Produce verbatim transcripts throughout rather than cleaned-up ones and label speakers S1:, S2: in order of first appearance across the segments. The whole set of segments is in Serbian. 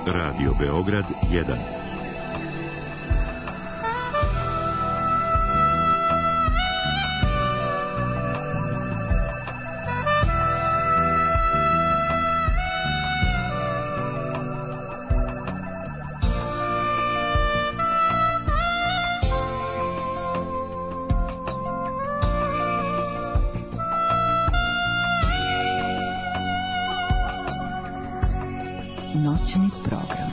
S1: Radio Beograd jedan.
S2: Noćni program.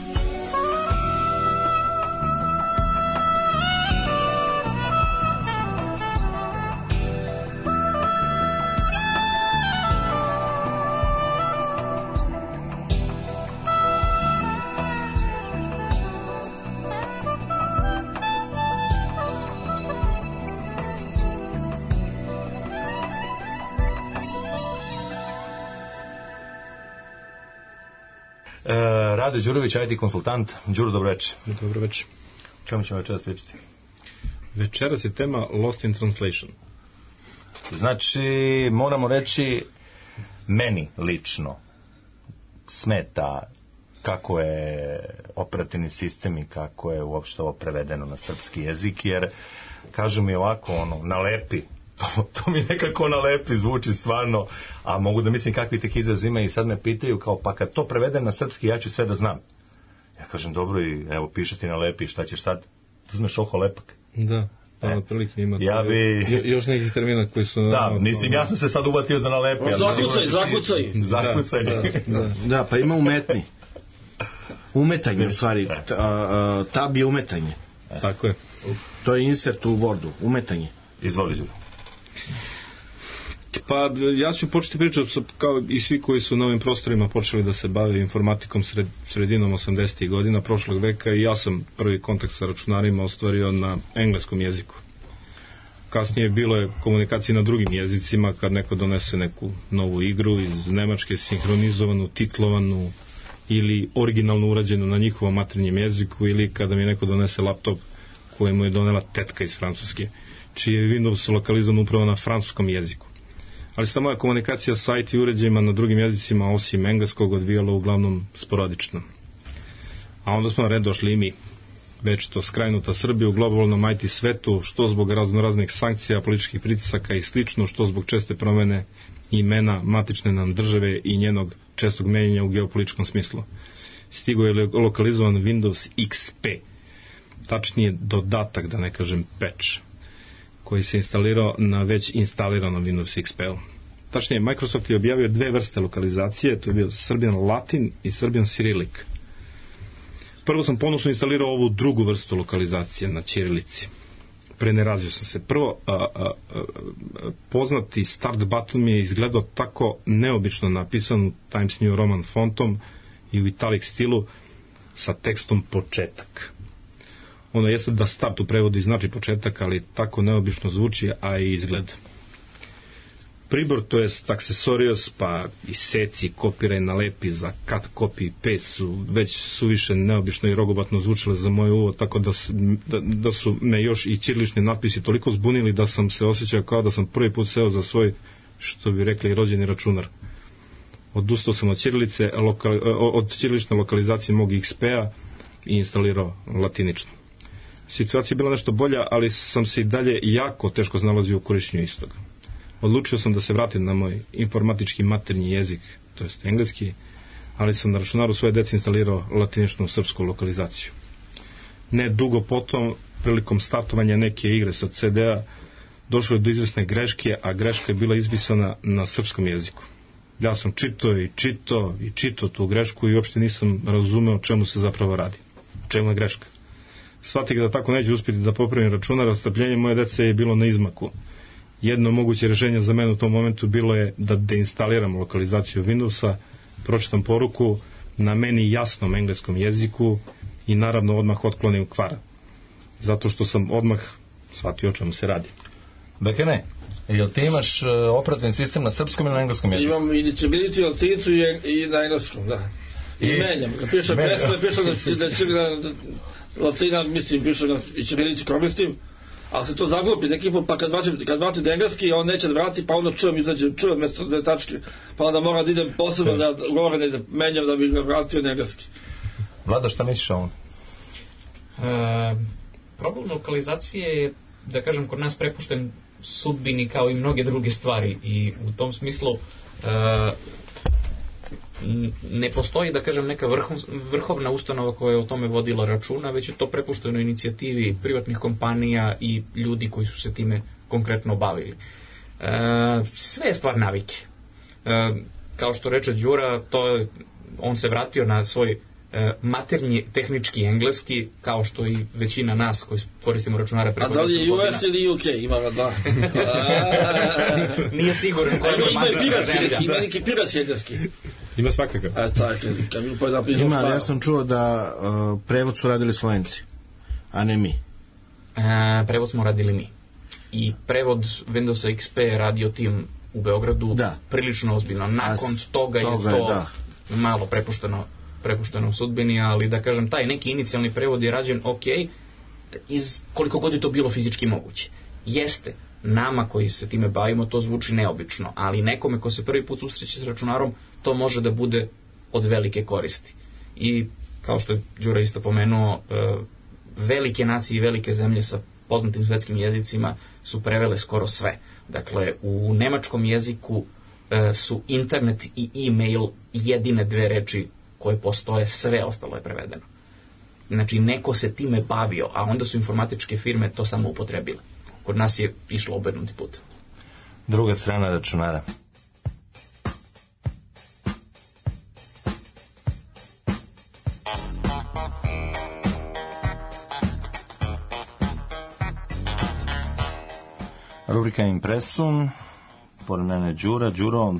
S3: Rade Đurović, I T konsultant. Đuro, dobro večer.
S4: Dobro večer.
S3: Čemu ćemo večeras pričati?
S4: Večeras je tema Lost in Translation.
S3: Znači, moramo reći, meni lično smeta kako je operativni sistem i kako je uopšte ovo prevedeno na srpski jezik, jer, kažu mi ovako, ono, nalepi, to, to mi nekako nalepi, zvuči stvarno, a mogu da mislim kakvi tek izraz ima i sad me pitaju kao, pa kad to prevedem na srpski, ja ću sve da znam. Ja kažem, dobro, i evo, piše ti nalepi, šta ćeš sad? Tu znaš oho lepak.
S4: Da, pa na prilike ima
S3: ja bi...
S4: jo, još nekih termina koji su...
S3: Da, no, mislim, ja sam se sad uvatio za nalepi.
S5: No, zakucaj, zakucaj.
S3: Zakucaj.
S5: Da, da, da. Da, pa ima umetni. Umetanje, u stvari. Tab je umetanje.
S4: Tako je.
S5: To je insert u Wordu, umetanje.
S3: Izvoli, Đuro.
S4: Pa ja ću početi pričati kao i svi koji su na ovim prostorima počeli da se bave informatikom sred, sredinom osamdesetih godina prošlog veka, i ja sam prvi kontakt sa računarima ostvario na engleskom jeziku. Kasnije bilo je komunikacije na drugim jezicima, kad neko donese neku novu igru iz Nemačke, sinhronizovanu, titlovanu ili originalno urađenu na njihovom maternjem jeziku, ili kada mi neko donese laptop koji mu je donela tetka iz Francuske, čiji je Windows lokalizovan upravo na francuskom jeziku. Ali se moja komunikacija sa I T uređajima na drugim jezicima, osim engleskog, odvijala uglavnom sporadično. A onda smo na red došli i mi, već to skrajnuta Srbija u globalnom I T svetu, što zbog raznoraznih sankcija, političkih pritisaka i slično, što zbog česte promene imena matične nam države i njenog čestog menjanja u geopolitičkom smislu. Stigo je lokalizovan Windows X P, tačnije dodatak, da ne kažem patch, koji se instalirao na već instaliranom Windows X P-u. Tačnije, Microsoft je objavio dve vrste lokalizacije, to je bio Serbian Latin i Serbian Cyrillic. Prvo sam ponosno instalirao ovu drugu vrstu lokalizacije na ćirilici. Prenerazio sam se. Prvo, a, a, a, poznati start button mi je izgledao tako neobično napisan Times New Roman fontom i u italic stilu sa tekstom početak. Ono jeste da start u prevodu znači početak, ali tako neobično zvuči, a i izgled. Pribor, to jest aksesorijos, pa i seci, kopiraj, nalepi, za cut, copy, paste su već suviše neobično i rogobatno zvučile za moj uvo, tako da su, da, da su me još i ćirilični natpisi toliko zbunili da sam se osjećao kao da sam prvi put seo za svoj, što bi rekli, rođeni računar. Odustao sam od ćirilice, lokal, od ćirilične lokalizacije mog X P-a i instalirao latinično. Situacija je bila nešto bolja, ali sam se i dalje jako teško znalazio u korišćenju istog. Odlučio sam da se vratim na moj informatički maternji jezik, to jest engleski, ali sam na računaru svoje dece instalirao latiničnu srpsku lokalizaciju. Ne dugo potom, prilikom startovanja neke igre sa C D-a, došlo je do izvesne greške, a greška je bila izpisana na srpskom jeziku. Ja sam čitao i čitao i čitao tu grešku i uopšte nisam razumeo o čemu se zapravo radi. O čemu je greška? Shvatih da tako neće uspjeti da popravim računar, a strpljenje moje dece je bilo na izmaku. Jedno moguće rješenje za mene u tom momentu bilo je da deinstaliram lokalizaciju Windowsa, pročitam poruku na meni jasnom engleskom jeziku i naravno odmah otklonim kvar. Zato što sam odmah shvatio o čemu se radi.
S3: Bekene, jel ti imaš uh, operativni sistem na srpskom ili na engleskom jeziku?
S5: Imam i disability, latinicu i, i na engleskom, da. I, I menjam. Kad pišem pesme, pišem da, da će da, latina, mislim, pišem da i ćirilici koristim, ali se to zaglupi neki put, pa kad vratim, kad vratim da engleski, on neće da vrati, pa onda čujem, izađe, čujem mjesto dve tačke, pa onda moram da idem posebno da govorim i da menjam da bi ga vratio na engleski.
S3: Vlado, šta misliš o ovom?
S2: E, problem lokalizacije je, da kažem, kod nas prepušten sudbini kao i mnoge druge stvari i u tom smislu e, ne postoji, da kažem, neka vrhov, vrhovna ustanova koja je o tome vodila računa, već je to prepušteno inicijativi privatnih kompanija i ljudi koji su se time konkretno bavili. E, sve je stvar navike. E, kao što reče Đura, to, on se vratio na svoj e, maternji tehnički engleski, kao što i većina nas koji koristimo računare preko
S5: deset godina. A da li je U S ili U K? Ima ga da.
S2: Nije siguran koja je matična zemlja.
S5: Ima neki piratski engleski.
S4: Ima svakakav.
S5: E, tako, kad mi pa da
S6: Ima, ali ja sam čuo da uh, prevod su radili Slovenci, a ne mi.
S2: E, prevod smo radili mi. I prevod Windowsa X P radio tim u Beogradu da. prilično ozbiljno. Nakon As, toga, toga je to da. malo prepušteno, prepušteno u sudbini, ali da kažem, taj neki inicijalni prevod je rađen ok, iz koliko god je to bilo fizički moguće. Jeste, nama koji se time bavimo to zvuči neobično, ali nekome ko se prvi put susreće s računarom, to može da bude od velike koristi. I kao što je Đura isto pomenuo, velike nacije i velike zemlje sa poznatim svetskim jezicima su prevele skoro sve. Dakle, u nemačkom jeziku su internet i e-mail jedine dve reči koje postoje, sve ostalo je prevedeno. Znači, neko se time bavio, a onda su informatičke firme to samo upotrebile. Kod nas je išlo obrnuti put.
S3: Druga strana računara. Rubrika Impresum, pored mene Đura. Đuro,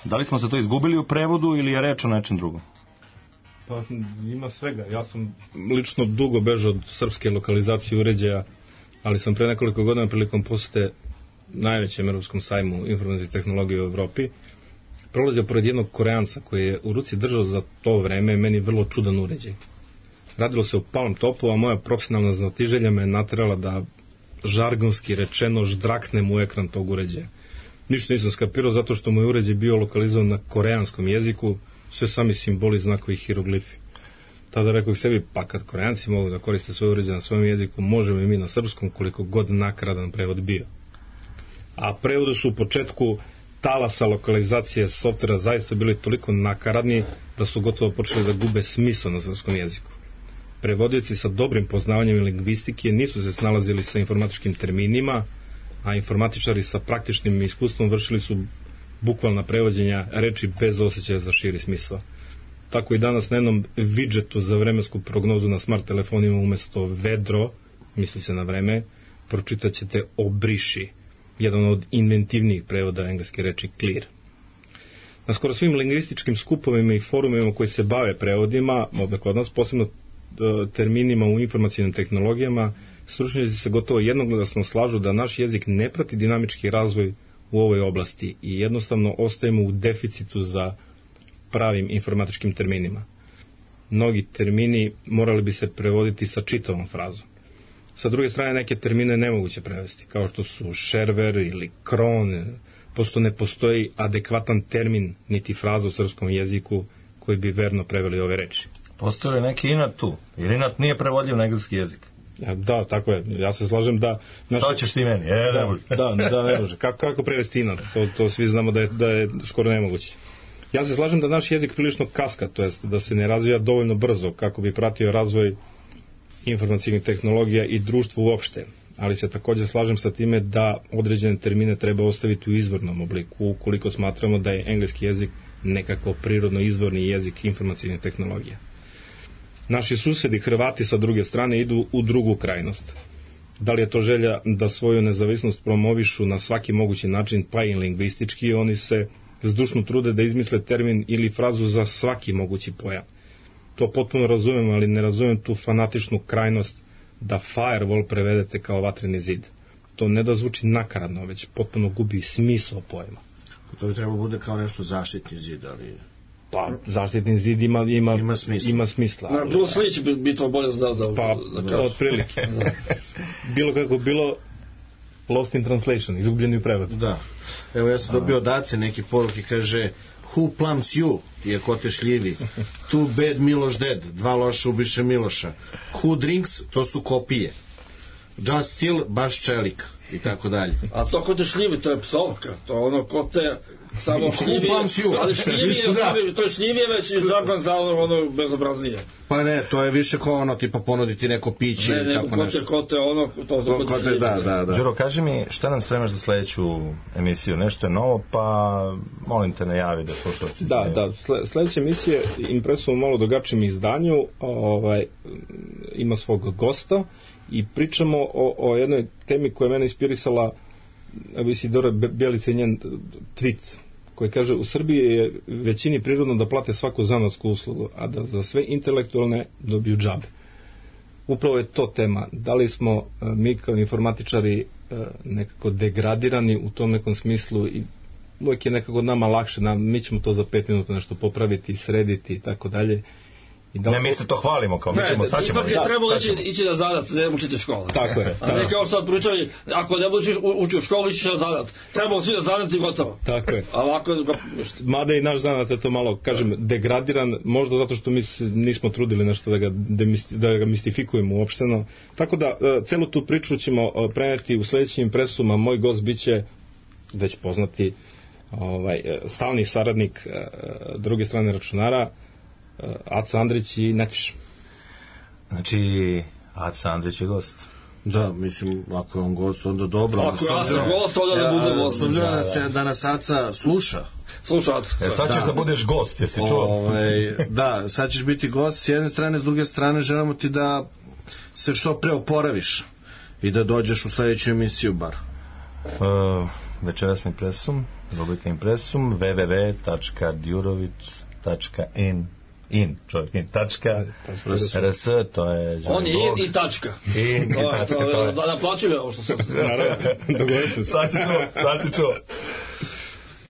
S3: da li smo se to izgubili u prevodu ili je reč o nečem drugom?
S4: Pa ima svega. Ja sam lično dugo bežao od srpske lokalizacije uređaja, ali sam pre nekoliko godina prilikom posete najvećem evropskom sajmu informacijske tehnologije u Evropi prolazio pored jednog Koreanca koji je u ruci držao za to vreme meni vrlo čudan uređaj. Radilo se o Palm Topu, a moja profesionalna znatiželja me je naterala da žargonski rečeno ždraknem u ekran tog uređaja. Ništa nisam skapirao zato što moj uređaj bio lokalizovan na koreanskom jeziku, sve sami simboli, znakovi i hiroglifi. Tada rekao sebi, pa kad Koreanci mogu da koriste svoj uređaj na svojom jeziku, možemo i mi na srpskom, koliko god nakaradan prevod bio. A prevode su u početku talasa lokalizacije softvera zaista bili toliko nakaradni da su gotovo počeli da gube smisao na srpskom jeziku. Prevodioci sa dobrim poznavanjem lingvistike nisu se snalazili sa informatičkim terminima, a informatičari sa praktičnim iskustvom vršili su bukvalna prevođenja reči bez osjećaja za širi smisao. Tako i danas na jednom widgetu za vremensku prognozu na smart telefonima umesto vedro, misli se na vreme, pročitat ćete obriši, jedan od inventivnijih prevoda engleske reči clear. Na skoro svim lingvističkim skupovima i forumima koji se bave prevodima, ovdje kod nas, posebno terminima u informacijnim tehnologijama, stručnjaci se gotovo jednoglasno slažu da naš jezik ne prati dinamički razvoj u ovoj oblasti i jednostavno ostajemo u deficitu za pravim informatičkim terminima. Mnogi termini morali bi se prevoditi sa čitavom frazom. Sa druge strane, neke termine nemoguće prevesti, kao što su šerver ili kron, posto ne postoji adekvatan termin niti fraza u srpskom jeziku koji bi verno preveli ove reči.
S3: Postoje neki inat tu, jer inat nije prevodljiv na engleski jezik.
S4: Ja, da, tako je. Ja se slažem da...
S3: Naš... Što ćeš ti meni? E,
S4: da, da, da, ne može. Kako, kako prevesti inat? To, to svi znamo da je, da je skoro nemoguće. Ja se slažem da naš jezik prilično kaska, to jest da se ne razvija dovoljno brzo kako bi pratio razvoj informacijnih tehnologija i društvo uopšte. Ali se također slažem sa time da određene termine treba ostaviti u izvornom obliku, ukoliko smatramo da je engleski jezik nekako prirodno izvorni jezik informacijnih tehnologija. Naši susedi Hrvati sa druge strane idu u drugu krajnost. Da li je to želja da svoju nezavisnost promovišu na svaki mogući način, pa i lingvistički, oni se zdušno trude da izmisle termin ili frazu za svaki mogući pojam. To potpuno razumem, ali ne razumem tu fanatičnu krajnost da firewall prevedete kao vatreni zid. To ne da zvuči nakaradno, već potpuno gubi smisao pojma.
S6: To bi trebalo bude kao nešto zaštitni zid, ali...
S4: Pa, zaštitni zid ima, ima,
S6: ima smisla.
S4: Ima smisla
S5: ali... Bruce Lee će bi, bi to bolje znao da...
S4: Pa, da otprilike. Bilo kako bilo, lost in translation, izgubljeni u prevodu.
S6: Da. Evo, ja sam dobio od Ace neke poruke, kaže, Who Plums You je ko te šljivi. Too Bad Miloš Dead, dva loša ubiše Miloša. Who Drinks, to su kopije. Just Still, baš čelik i tako dalje.
S5: A to ko te šljivi, to je psovka, to je ono ko te samo šljivi, ali šljivi je, da. To je šljivi je već i žargon za ono, ono bezobraznije.
S6: Pa ne, to je više ko ono, tipa ponuditi neko piće.
S5: Ne, neko ko te, ko te ono, to za ko te šljivi.
S6: Da, da, da.
S3: Đuro, kaži mi, šta nam spremaš za sledeću emisiju? Nešto je novo, pa molim te najavi da slušalci
S4: znaju. Da, da, sledeća emisija Impresum u malo drugačijem izdanju, ovaj, ima svog gosta i pričamo o, o jednoj temi koja je mene inspirisala, evo Isidora Bjelica i njen tweet, koji kaže u Srbiji je većini prirodno da plate svaku zanatsku uslugu, a da za sve intelektualne dobiju džabe. Upravo je to tema. Da li smo mi kao informatičari nekako degradirani u tom nekom smislu i uvijek je nekako nama lakše, nam, mi ćemo to za pet minuta nešto popraviti, srediti i tako dalje.
S3: Da ne, mi se to hvalimo, kao mi ćemo, sad ćemo.
S5: Ipak je trebalo ići, ići na zadat, ne učiti škole.
S4: Tako je.
S5: A ne kao sad pričali, ako ne budeš učiti u školu, ići na zadat. Trebalo svi na zadat i gotovo.
S4: Tako je.
S5: A ovako...
S4: Mada i naš zanat je to malo, kažem, degradiran, možda zato što mi nismo trudili nešto da ga, da ga mistifikujemo uopšteno. Tako da, celu tu priču ćemo preneti u sledećim Impresuma. Moj gost biće već poznati ovaj, stalni saradnik druge strane računara, Aca Andrić i Netviš.
S3: Znači, Aca Andrić je gost.
S6: Da, mislim, ako je on gost, onda dobro.
S5: Ako ja sam gost, onda ne bude gost.
S6: S obzirom da se da nas Aca sluša.
S5: Sluša Aca.
S3: E, sad ćeš da. da budeš gost, jesi čuo?
S6: Ove, da, sad ćeš biti gost s jedne strane, s druge strane želimo ti da se što pre oporaviš i da dođeš u sledeću emisiju bar.
S3: Uh, večerasni Impresum, rubrika Impresum, w w w tačka djurović tačka in in, čovjek, in, tačka, rs, to je...
S5: On je in i tačka.
S3: In i tačka, to je...
S5: Da naplaćuje ovo što sam...
S3: Sad si čuo, sad si čuo.